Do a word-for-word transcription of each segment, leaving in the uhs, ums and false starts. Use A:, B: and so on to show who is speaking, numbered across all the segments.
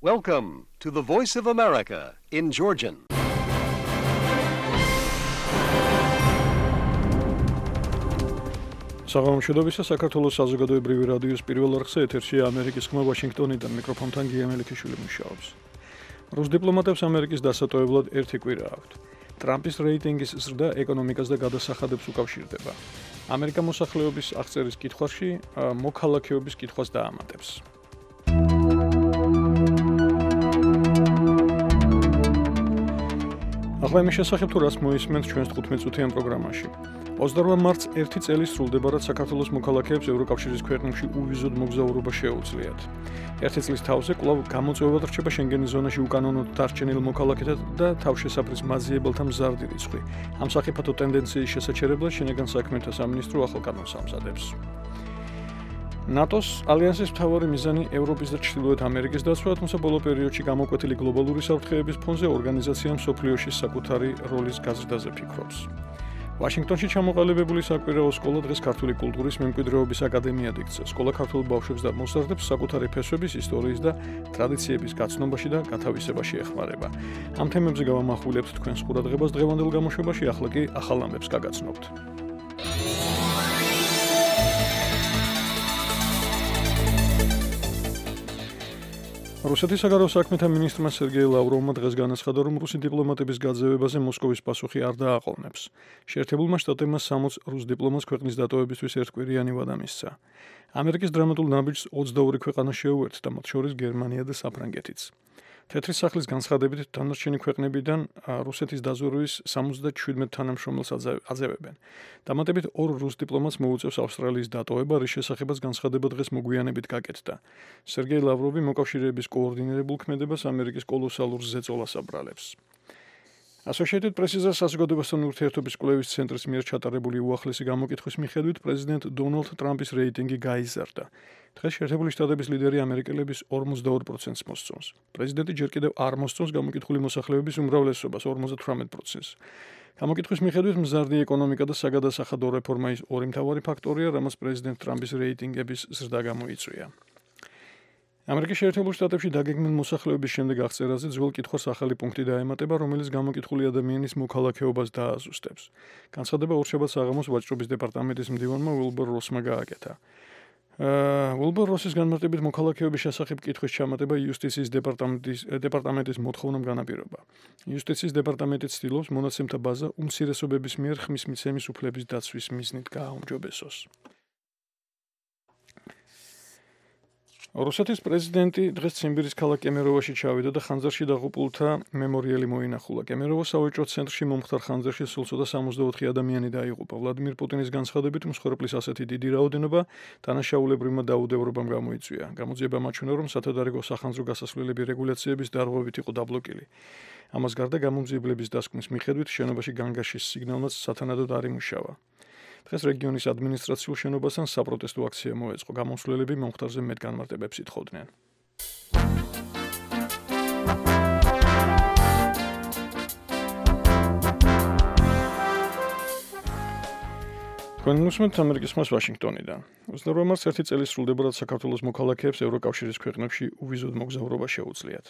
A: Welcome to the Voice of America in Georgian.
B: საღამოშედობისა საქართველოს საზოგადოებრივი რადიოს პირველ არხზე ეთერშია ამერიკის ხმა ვაშინგტონიდან მიკროფონთან გია მელიქიშვილი მუშაობს. რუს დიპლომატებს ამერიკის დასატოვებლად ერთი კვირა აქვთ. ტრამპის რეიტინგის ზრდა ეკონომიკას და გადასახადებს უკავშირდება. ამერიკა მოსახლეობის აღწერის კითხვაში მოქალაქეობის კითხვას დაამატებს. ახლა იმის შესახებ თუ რას მოისმენთ ჩვენს თხუთმეტ წუთიან პროგრამაში. ოცდაორმა მარტს ერთი წელი სრულდება, რაც საქართველოს მოქალაქეებს ევროკავშირის ქვეყნებში უვიზოდ მოგზაურობა შეუძლიათ. ერთი წლის თავზე კვლავ გამოწვევად რჩება შენგენის ზონაში უკანონოდ დარჩენილ მოქალაქეთა და თავშესაფრის მაზიებელთა მზარდი რიცხვი. ამ სახიფათო ტენდენციის შესაჩერებლად შინაგან საქმეთა სამინისტრო ახალ კანონს ამზადებს. ნატოს ალიანსის მთავარი მიზანი ევროპის და ჩრდილოეთ ამერიკის დაცვა, თუმცა ბოლო პერიოდში გამოკვეთილი გლობალური საფრთხეების ფონზე ორგანიზაცია მსოფლიოში საკუთარი როლის გაზრდაზე ფიქრობს. ვაშინგტონში ჩამოყალიბებული საკვირაო სკოლა დღეს ქართული კულტურის მემკვიდრეობის აკადემიად იქცა. სკოლა ქართულ ბავშვებს და მოსწავლეებს საკუთარი ფესვების, ისტორიის და ტრადიციების გაცნობაში და გათავისებაში ეხმარება. ამ თემებზე გავამახვილებთ თქვენს ყურადღებას დღევანდელ გამოშვებაში, ახლა კი ახალ ამბებს გაგაცნობთ. რუსეთის საგარეო საქმეთა მინისტრმა სერგეი ლავროვმა დღეს განაცხადა, რომ რუსი დიპლომატების გაძევებაზე მოსკოვის პასუხი არ დააყოვნებს. შეერთებულმა შტატებმა სამოც რუს დიპლომატს ქვეყნის დატოვებისთვის ერთკვირიანი ვადა მისცა. ამერიკის დრამატულ ნაბიჯს ოცდაორი ქვეყანა შეუერთდა, მათ შორის გერმანია და საფრანგეთიც. თეთრი სახლის განცხადებით დანარჩენი ქვეყნებიდან რუსეთის დაზვერვის სამოცდაშვიდმეტ თანამშრომელს აძევებენ. დამატებით ორ რუს დიპლომატს მოუწევს ავსტრალიის დატოვება, რის შესახებაც განცხადება დღეს მოგვიანებით გაკეთდა. სერგეი ლავროვი მოკავშირეების კოორდინირებულ ქმედებას ამერიკის კოლოსალურ ზეწოლას აბრალებს. Associated Press-ის საზოგადოებასთან ურთიერთობის კვლევის ცენტრის მიერ ჩატარებული უახლესი გამოკითხვის მიხედვით პრეზიდენტ დონალდ ტრამპის რეიტინგი გაიზარდა. დღეს შეერთებული შტატების ლიდერი ამერიკელების ორმოცდაორ პროცენტს მოსწონს. პრეზიდენტი ჯერ კიდევ არ მოსწონს გამოკითხული მოსახლეობის უმრავლესობას ორმოცდათვრამეტ პროცენტს. გამოკითხვის მიხედვით მზარდი ეკონომიკა და საგადასახადო რეფორმა ის ორი მთავარი ფაქტორია, რამაც პრეზიდენტ ტრამპის რეიტინგების ზრდა გამოიწვია. ამერიკის შეერთებულ შტატებში დაგეგმილ მოსახლეობის შემდეგ აღწერაზე ძველ კითხვას ახალი პუნქტი დაემატება, რომელიც გამოკითხული ადამიანის მოქალაქეობას დააზუსტებს. განცხადება ორშაბათს საღამოს ვაჭრობის დეპარტამენტის მდივანმა უილბურ როსმა გააკეთა. უილბურ როსის განმარტებით მოქალაქეობის შესახებ კითხვის ჩამატება იუსტიციის დეპარტამენტის დეპარტამენტის მოთხოვნამ განაპირობა. იუსტიციის დეპარტამენტი ცდილობს მონაცემთა ბაზა უმცირესობების მიერ ხმის მიცემის უფლების დაცვის მიზნით გააუმჯობესოს. რუსეთის პრეზიდენტი დღეს ციმბირის ქალაქ კემეროვაში ჩავიდა და ხანძარში დაღუპულთა მემორიალი მოინახულა. კემეროვოს სავაჭრო ცენტრში მომხდარ ხანძარში სულ ცოტა სამოცდაოთხი ადამიანი დაიღუპა. ვლადიმირ პუტინის განცხადებით მსხვერპლის ასეთი დიდი რაოდენობა დანაშაულებრივმა დაუდევრობამ გამოიწვია. გამოძიება მაჩვენა, რომ სათადარიგო სახანძრო გასასვლელები რეგულაციების დარღვევით იყო დაბლოკილი. ამას გარდა გამომძიებლების დასკვნის მიხედვით შენობაში განგაშის სიგნალმაც სათანადოდ არ იმუშავა. დღეს რეგიონის ადმინისტრაციულ შენობასთან საპროტესტო აქცია მოეწყო. გამოსვლელები მომხდარზე მეტ განმარტებებს ითხოვდნენ. თქვენ უსმენთ ამერიკის ხმას ვაშინგტონიდან. ოცდაორმა მარტს ერთი წელი სრულდება, რაც საქართველოს მოქალაქეებს ევროკავშირის ქვეყნებში უვიზოდ მოგზაურობა შეუძლიათ.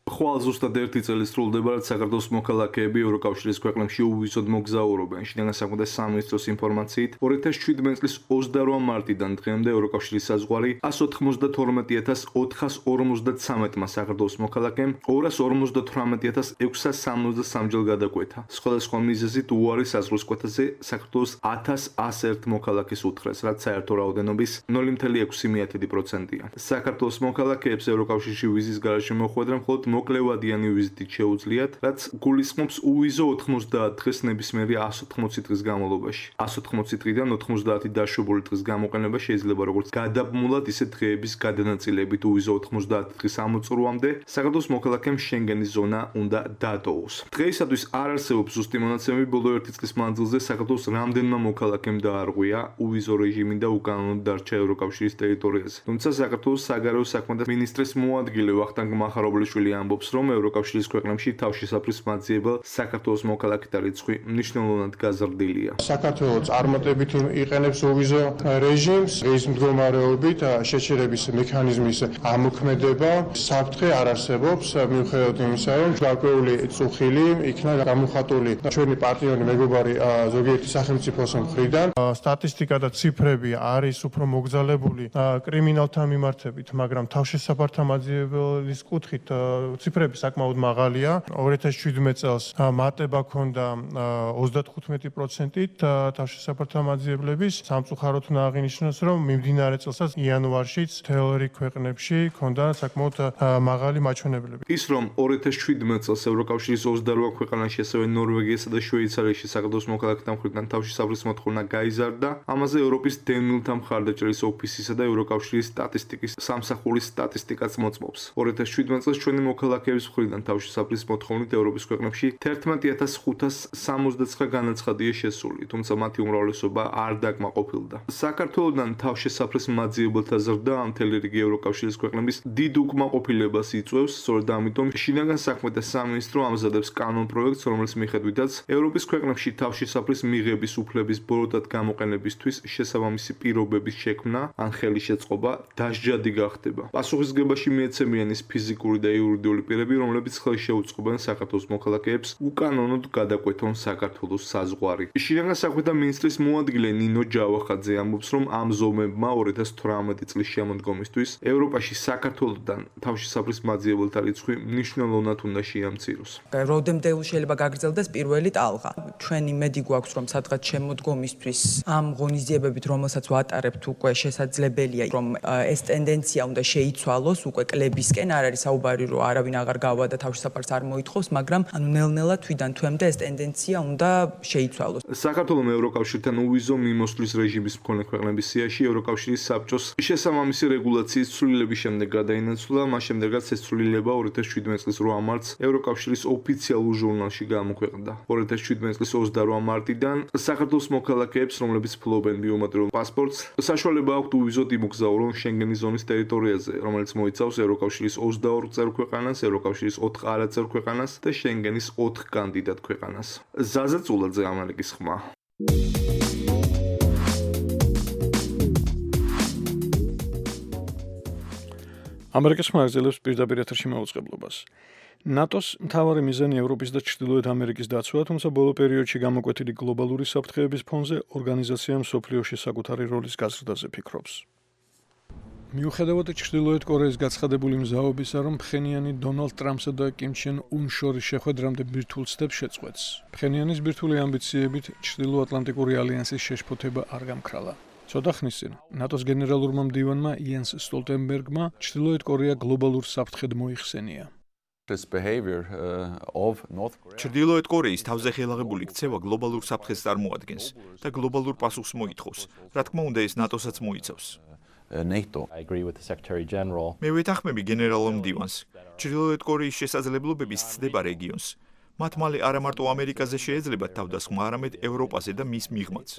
C: ხვალ ზუსტად ერთი წელი სრულდება, რაც საქართველოს მოქალაქეები ევროკავშირის ქვეყნებში უვიზოდ მოგზაურობენ. შინაგან საქმეთა სამინისტროს ინფორმაციით, ორი ათას შვიდმეტ წლის ოცდაორმა მარტიდან დღემდე ევროკავშირის საზღვარი ასს ოცდაოთხმოცდათორმეტი ათას ოთხას ორმოცდაცამეტმა საქართველოს მოქალაქემ ორას ორმოცდათვრამეტი ათას ექვსას სამოცდასამ ჯერ გადაკვეთა. სხვადასხვა მიზეზით უარი საზღვრის კვეთაზე საქართველოს ათას ასს ერთ მოქალაქეს უთხრეს, რაც საერთო რაოდენობის ნული მცდამეტი ექვსი პროცენტია. საქართველოს მოქალაქეებს ევროკავშირში ვიზის გარეშე მოხვედრა მხოლოდ მოკლევადიანი ვიზიტით შეუძლიათ, რაც გულისხმობს უვიზო ოთხმოცდაათ დღეს ნებისმიერი ასს ოთხმოცი დღის განმავლობაში. ასს ოთხმოცი დღიდან ოთხმოცდაათი დაშვებული დღის გამოყენება შეიძლება როგორც გადაბმულად, ისე დღეების გადანაწილებით უვიზო ოთხმოცდაათი დღის ამოწურვამდე საქართველოს მოქალაქემ შენგენის ზონა უნდა დატოვოს. დღეისათვის არ არსებობს ზუსტი მონაცემები ბოლო ერთი წლის მანძილზე საქართველოს რამდენმა მოქალაქემ დაარღვია უვიზო რეჟიმი და უკანონოდ დარჩა ევროკავშირის ტერიტორიაზე. თუმცა საქართველოს საგარეო საქმეთა მინისტრის მოადგილე ვახტანგ მახარობლიშვილი ამბობს, რომ ევროკავშირის ქვეყნებში თავშესაფრის მაძიებელ საქართველოს მოქალაქეთა რიცხვი მნიშვნელოვნად გაზრდილია.
D: საქართველო წარმატებით იყენებს უვიზო რეჟიმს, ეს მდგომარეობით შეჩერების მექანიზმის ამოქმედება საფრთხე არ არსებობს, მიუხედავად იმისა, რომ გარკვეული წუხილი იქნა გამოხატული ჩვენი პარტნიორი მეგობარი ზოგიერთი სახელმწიფოს მხრიდან. სტატისტიკა და ციფრები არის უფრო მოგზალებული კრიმინალთა მიმართებით, მაგრამ თავშესაფართა მაძიებლის კუთხით ციფრები საკმაოდ მაღალია. ორი ათას შვიდმეტ წელს მატება ჰქონდა ოცდათხუთმეტი პროცენტით თავშესაფართა მაძიებლების. სამწუხაროდ უნდა აღინიშნოს, რომ მიმდინარე წელსაც იანვარშიც მთელ რიგ ქვეყნებში ჰქონდა საკმაოდ მაღალი მაჩვენებლები.
C: ის რომ ორი ათას შვიდმეტ წელს ევროკავშირის ოცდარვა ქვეყანაში, ასევე ნორვეგიასა და შვეიცარიაში საქართველოს მოქალაქეთა მხრიდან თავშესაფრის მოთხოვნა გაიზარდა, ამაზე ევროპის დევნილთა მხარდაჭერის ოფისისა და ევროკავშირის სტატისტიკის სამსახურის სტატისტიკაც მოწმობს. ორი ათას შვიდმეტ წელს ჩვენი მოქალაქეების მხრიდან თავშესაფრის მოთხოვნით ევროპის ქვეყნებში თერთმეტი ათას ხუთას სამოცდაცხრა განაცხადია შესული, თუმცა მათი უმრავლესობა არ დაკმაყოფილდა. საქართველოდან თავშესაფრის მაძიებელთა ზრდა მთელი რიგი ევროკავშირის ქვეყნების დიდ უკმაყოფილებას იწვევს, სწორედ ამიტომ შინაგან საქმეთა სამინისტრო ამზადებს კანონ პროექტს, რომლის მიხედვითაც ევროპის ქვეყნებში თავშესაფრის მიღების უფლების ბოროტად გამოყენებისთვის შესაბამისი პირობების შექმნა ან ხელის შეწყობა დასჯადი გახდება. პასუხისგებაში მიეცემიან ის ფიზიკური და იურიდიული პირები, რომლებიც ხელს შეუწყობენ საქართველოს მოქალაქეებს უკანონოდ გადაკვეთონ საქართველოს საზღვარი. შინაგან საქმეთა მინისტრის მოადგილე ნინო ჯავახაძე ამბობს, რომ ამ ზომებმა ორი ათას თვრამეტი წლის შემოდგომისთვის ევროპაში საქართველოდან თავშესაფრის მაძიებელთა რიცხვი მნიშვნელოვნად უნდა შეამციროს.
E: Rodemde შეიძლება გაგრძელდეს პირველი ტალღა. ჩვენი მედი გვაქვს, რომ სადღაც შემოდგომისთვის ამ ღონისძიებებით, რომელსაც ვატარებთ, უკვე შესაძლებელია, რომ ეს ტენდენცია უნდა შეიცვალოს, უკვე კლებისკენ არ არის საუბარი, რომ არავინ აღარ გავა და თავშესაფარს არ მოითხოვს, მაგრამ ანუ ნელ-ნელა თვიდან თვემდე ეს ტენდენცია უნდა შეიცვალოს.
C: საქართველოს ევროკავშირთან უვიზო მიმოსვლის რეჟიმის მქონე ქვეყნების სიაში ევროკავშირის საბჭოს შესაბამისი რეგულაციის ცვლილების შემდეგ გადაინაცვლა, მას შემდეგაც ეს ცვლილება ორი ათას შვიდმეტ წლის რვა მარტს ევროკავშირის ოფიციალურ ჟურნალში გამოქვეყნდა. ორი ათას შვიდმეტ წლის ოცდარვა მარტიდან საქართველოს მოქალაქეებს, რომლებიც ფლობენ ბიომეტრიულ პასპორტს, საშუალება აქვთ უვიზოდ იმოგზაურონ შენგენის ზონის ტერიტორიაზე, რომელიც მოიცავს ევროკავშირის ოცდაორ წევრ ქვეყანას, ევროკავშირის ოთხ არაწევრ ქვეყანას და შენგენის ოთხ კანდიდატ ქვეყანას. ზაზა წულაძე, ამერიკის ხმა.
B: ამერიკის ხმა აგრძელებს პირდაპირ ეთერში მაუწყებლობას. ნატოს მთავარი მიზანი ევროპის და ჩრდილოეთ ამერიკის დაცვა, თუმცა ბოლო პერიოდში გამოკვეთილი გლობალური საფრთხეების ფონზე ორგანიზაცია მსოფლიოში საკუთარი როლის გაზრდაზე ფიქრობს. მიუხედავად ჩრდილოეთ კორეის გაცხადებული მზაობისა, რომ ფხენიანი დონალდ ტრამპსა და კიმ ჩენ უნ შორის შეხვედრამდე ბირთვულ ცდებს შეწყვეტს, ფხენიანის ბირთვული ამბიციებით ჩრდილოატლანტიკური ალიანსის შეშფოთება არ გამქრალა. ცოტა ხნის წინ ნატოს გენერალურმა მდივანმა იენს სტოლტენბერგმა ჩრდილოეთ კორეა გლობალურ საფრთხედ მოიხსენია.
F: ჩრდილოეთ კორეის თავზე ხელაღებული ქცევა გლობალურ საფრთხეს წარმოადგენს და გლობალურ პასუხს მოითხოვს. რა თქმა უნდა, ეს ნატოსაც მოიცავს. მე ვეთანხმები გენერალურ მდივანს. ჩრდილოეთ კორეის შესაძლებლობების ცდება რეგიონს. მათ მალე არა მარტო ამერიკაზე შეეძლებათ თავდასხმა, არამედ ევროპაზე და მის მიღმაც.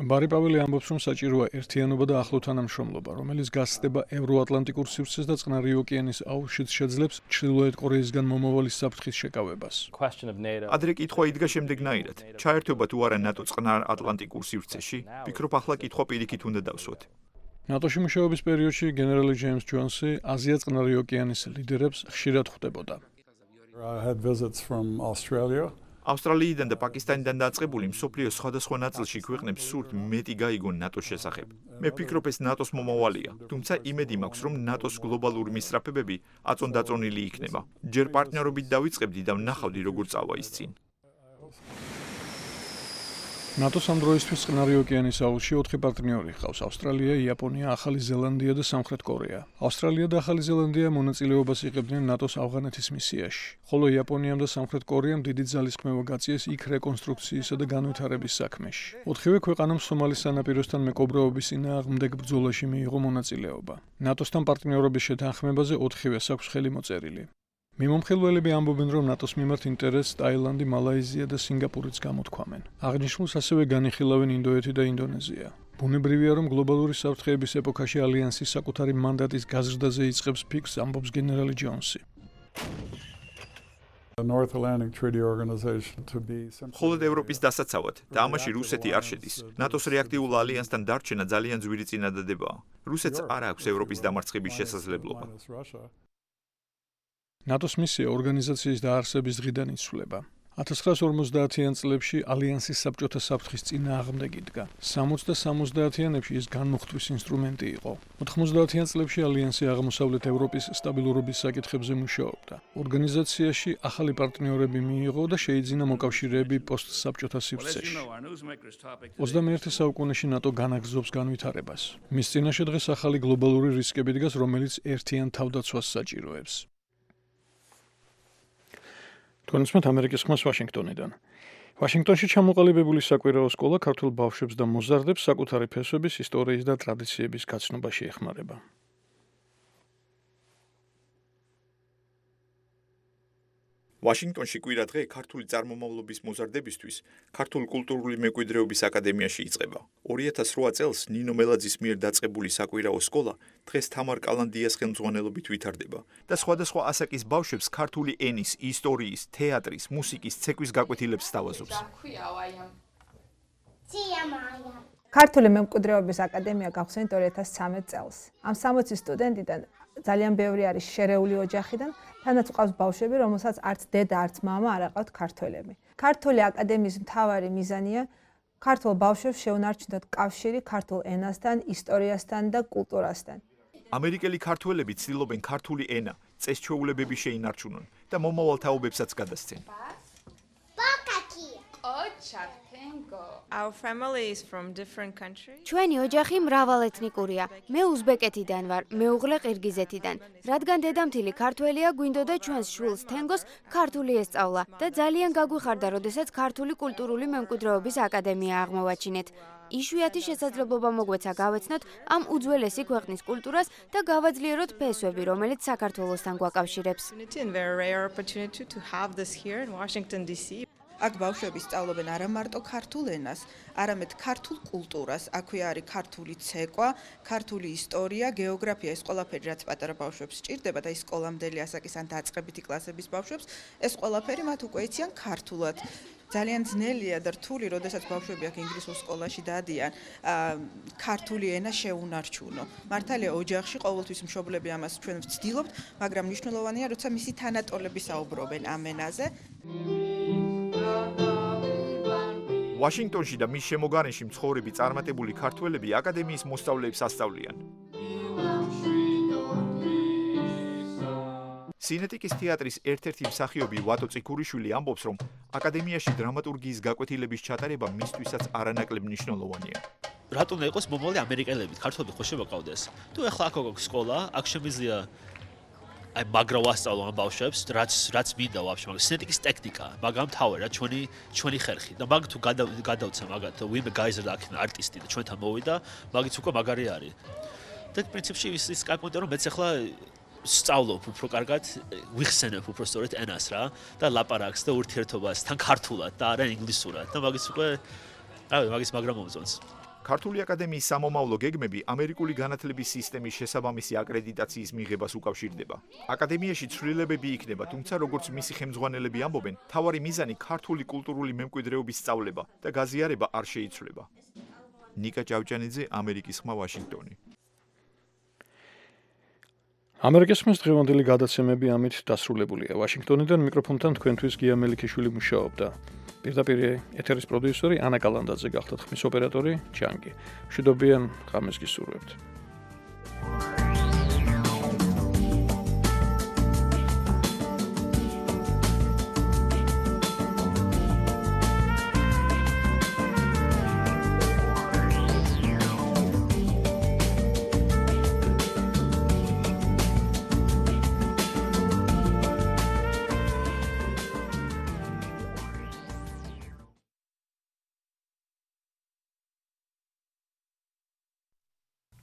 B: ბარი პაველი ამბობს, რომ საჭიროა ერთიანობა და ახლო თანამშრომლობა, რომელიც გასცდება ევროატლანტიკურ სივრცეს და წყნარი ოკეანის აუზშიც შეძლებს ჩრდილოეთ კორეისგან მომავალი საფრთხის შეკავებას.
F: ადრე კითხვა იდგა შემდეგნაირად: ჩაერთვება თუ არა ნატო წყნარ ატლანტიკურ სივრცეში? ვფიქრობ, ახლა კითხვა პირიქით უნდა დავსვათ.
B: ნატოში მუშაობის პერიოდში გენერალი ჯეიმს ჯონსი აზია წყნარი ოკეანის ლიდერებს ხშირად ხვდებოდა.
F: ავსტრალიიდან და პაკისტანიდან დაწყებული მსოფლიოს სხვადასხვა ნაწილში ქვეყნებს სურთ მეტი გაიგონ ნატოს შესახებ. მე ვფიქრობ, ეს ნატოს მომავალია, თუმცა იმედი მაქვს, რომ ნატოს გლობალური მისწრაფებები აწონდაწონილი იქნება. ჯერ პარტნიორობით დავიწყებდი და ვნახავდი, როგორ წავა ის წინ.
B: ნატოს ამ დროისთვის წყნარი ოკეანის აუზში ოთხი პარტნიორი ჰყავს: ავსტრალია, იაპონია, ახალი ზელანდია და სამხრეთ კორეა. ავსტრალია და ახალი ზელანდია მონაწილეობას იღებდნენ ნატოს ავღანეთის მისიაში, ხოლო იაპონიამ და სამხრეთ კორეამ დიდი ძალისხმევა გაწიეს იქ რეკონსტრუქციისა და განვითარების საქმეში. ოთხივე ქვეყანამ სომალის სანაპიროსთან მეკობრეობის წინააღმდეგ ბრძოლაში მიიღო მონაწილეობა. ნატოსთან პარტნიორობის შეთანხმებაზე ოთხივეს აქვს ხელი მოწერილი. მიმომხილველები ამბობენ, რომ ნატოს მიმართ ინტერესს ტაილანდი, მალაიზია და სინგაპურიც გამოთქვამენ. აღნიშნულს ასევე განიხილავენ ინდოეთი და ინდონეზია. ბუნებრივია, რომ გლობალური საფრთხეების ეპოქაში ალიანსი საკუთარი მანდატის გაზრდაზე იწყებს ფიქრს, ამბობს გენერალი ჯონსი.
G: North Atlantic Treaty Organization to be
F: მხოლოდ ევროპის დასაცავად და ამაში რუსეთი არ შედის. ნატოს რეაქტიულ ალიანსთან დარჩენა ძალიან ძვირი წინადადებაა. რუსეთს არ აქვს ევროპის დამარცხების შესაძლებლობა.
B: ნატოს მისია ორგანიზაციის დაარსების დღიდან იცვლება. ათას ცხრაასი ორმოცდაათიან წლებში ალიანსის საბჭოთა საფრთხის წინააღმდეგ იდგა. სამოცდა და სამოცდაათიანებში ის განმუხტვის ინსტრუმენტი იყო. ოთხმოცდაათიან წლებში ალიანსი აღმოსავლეთ ევროპის სტაბილურობის საკითხებზე მუშაობდა. ორგანიზაციაში ახალი პარტნიორები მიიღო და შეიძინა მოკავშირეები პოსტსაბჭოთა სივრცეში. ოცდამეერთე საუკუნეში ნატო განაგრძობს განვითარებას. მის წინაშე დღეს ახალი გლობალური რისკები დგას, რომელიც ერთიან თავდაცვას საჭიროებს. თუნდაც ამერიკის ხმას ვაშინგტონიდან. ვაშინგტონში ჩამოყალიბებული საკვირაო სკოლა ქართულ ბავშვებს და მოზარდებს საკუთარი ფესვების, ისტორიის და ტრადიციების გაცნობაში ეხმარება.
F: ვაშინგტონში კვირადღე ქართული წარმომავლობის მოზარდებისთვის ქართული კულტურული მემკვიდრეობის აკადემიაში იწყება. ორი ათას რვა წელს ნინო მელაძის მიერ დაწყებული საკვირაო სკოლა დღეს თამარ კალანდიას ხელმძღვანელობით ვითარდება და სხვადასხვა ასაკის ბავშვებს ქართული ენის, ისტორიის, თეატრის, მუსიკის, ცეკვის გაკვეთილებს სთავაზობს.
H: ქართული მემკვიდრეობის აკადემია გავხსენით ორი ათას ცხრამეტ წელს. ამ სამოცი სტუდენტიდან ძალიან ბევრი არის შერეული ოჯახიდან, თანაც ყავს ბავშვები, რომელსაც არც დედა, არც მამა არ აყავთ ქართველები. ქართული აკადემიის მთავარი მიზანია ქართულ ბავშვებს შეუნარჩუნოთ კავშირი ქართულ ენასთან, ისტორიასთან და კულტურასთან.
F: ამერიკელი ქართველები ცდილობენ ქართული ენა, წესჩვეულებები შეინარჩუნონ და მომავალ თაობებსაც გადასცენ.
I: Our family is from different countries.
J: ჩვენი ოჯახი მრავალეთნიკურია. მე უზბეკეთიდან ვარ, მეუღლე ყირგიზეთიდან. რადგან დედამთილი ქართველია, გვინდოდა ჩვენს შვილს თენგოს ქართული ესწავლა და ძალიან გაგვიხარდა, როდესაც ქართული კულტურული მემკვიდრეობის აკადემია აღმოვაჩინეთ. იშვიათი შესაძლებლობა მოგვეცა გავეცნოთ ამ უძველესი ქვეყნის კულტურას და გავაძლიეროთ ფესვები, რომელიც საქართველოსთან გვაკავშირებს.
K: აქ ბავშვები სწავლობენ არა მარტო ქართულ ენას, არამედ ქართულ კულტურას. აქვე არის ქართული ცეკვა, ქართული ისტორია, გეოგრაფია, ეს ყველაფერი რაც პატარა ბავშვებს სჭირდება და ის სკოლამდელი ასაკის ან დაწყებითი კლასების ბავშვებს, ეს ყველაფერი მათ უკვე იციან ქართულად. ძალიან ძნელია და რთული, როდესაც ბავშვები აქ ინგლისურ სკოლაში დადიან, ქართული ენა შეუნარჩუნო. მართალია ოჯახში ყოველთვის მშობლები ამას ჩვენ ვცდილობთ, მაგრამ მნიშვნელოვანია, როცა მისი თანატოლები საუბრობენ ამ ენაზე.
F: ვაშინგტონში და მის შემოგარენში მცხოვრები წარმატებული ქართველები აკადემიის მოსწავლეებს ასწავლიან. სინეტიკის თეატრის ერთ-ერთი მსახიობი ვატო წიქურიშვილი ამბობს, რომ აკადემიაში დრამატურგიის გაკვეთილების ჩატარება მისთვისაც არანაკლებ მნიშვნელოვანია.
L: რატომ უნდა იყოს მომავალი ამერიკელები, ქართველები ხო შემოყავდეს? თუ ახლა აქ აქვს სკოლა, აქ შემიძლია აი მაგრა ვასწავლო ამ ბავშვებს, რაც რაც მინდა ვაფშე, მაგრამ სინეტიკის ტექნიკა, მაგრამ თავი რა ჩვენი ჩვენი ხერხი. და მაგ თუ გადავცა მაგათ, ვინმე გაიზარდა აქ არტისტი და ჩვენთან მოვიდა, მაგიც უკვე მაგარი არის. და პრინციპში ის ის კაკუნდა რომ მეც ახლა სწავლობ უფრო კარგად, ვიხსენებ უფრო სწორედ ენას რა და ლაპარაკს და ურთიერთობას თან ქართულად და არა ინგლისურად და მაგის უკვე რავი, მაგის მაგრამ მომწონს.
F: ქართული აკადემიის სამომავლო გეგმები ამერიკული განათლების სისტემის შესაბამისი აკრედიტაციის მიღებას უკავშირდება. აკადემიაში ცვლილებები იქნება, თუმცა როგორც მისი ხელმძღვანელები ამბობენ, თავარი მიზანი ქართული კულტურული მემკვიდრეობის სწავლება და გაზიარება არ შეიცვლება. ნიკა ჭავჭანიძე, ამერიკის ხმა, ვაშინგტონი.
B: ამერიკის ხმის დღევანდელი გადაცემები ამით დასრულებულია. ვაშინგტონიდან მიკროფონთან თქვენთვის გია მელიქიშვილი მუშაობდა. პირდაპირ ეთერის პროდიუსერი ანა კალანდაძე გახდათ, ხმის ოპერატორი ჩანგი. მშვიდობიან ღამეს გისურვებთ.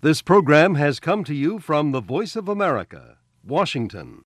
A: This program has come to you from the Voice of America, Washington.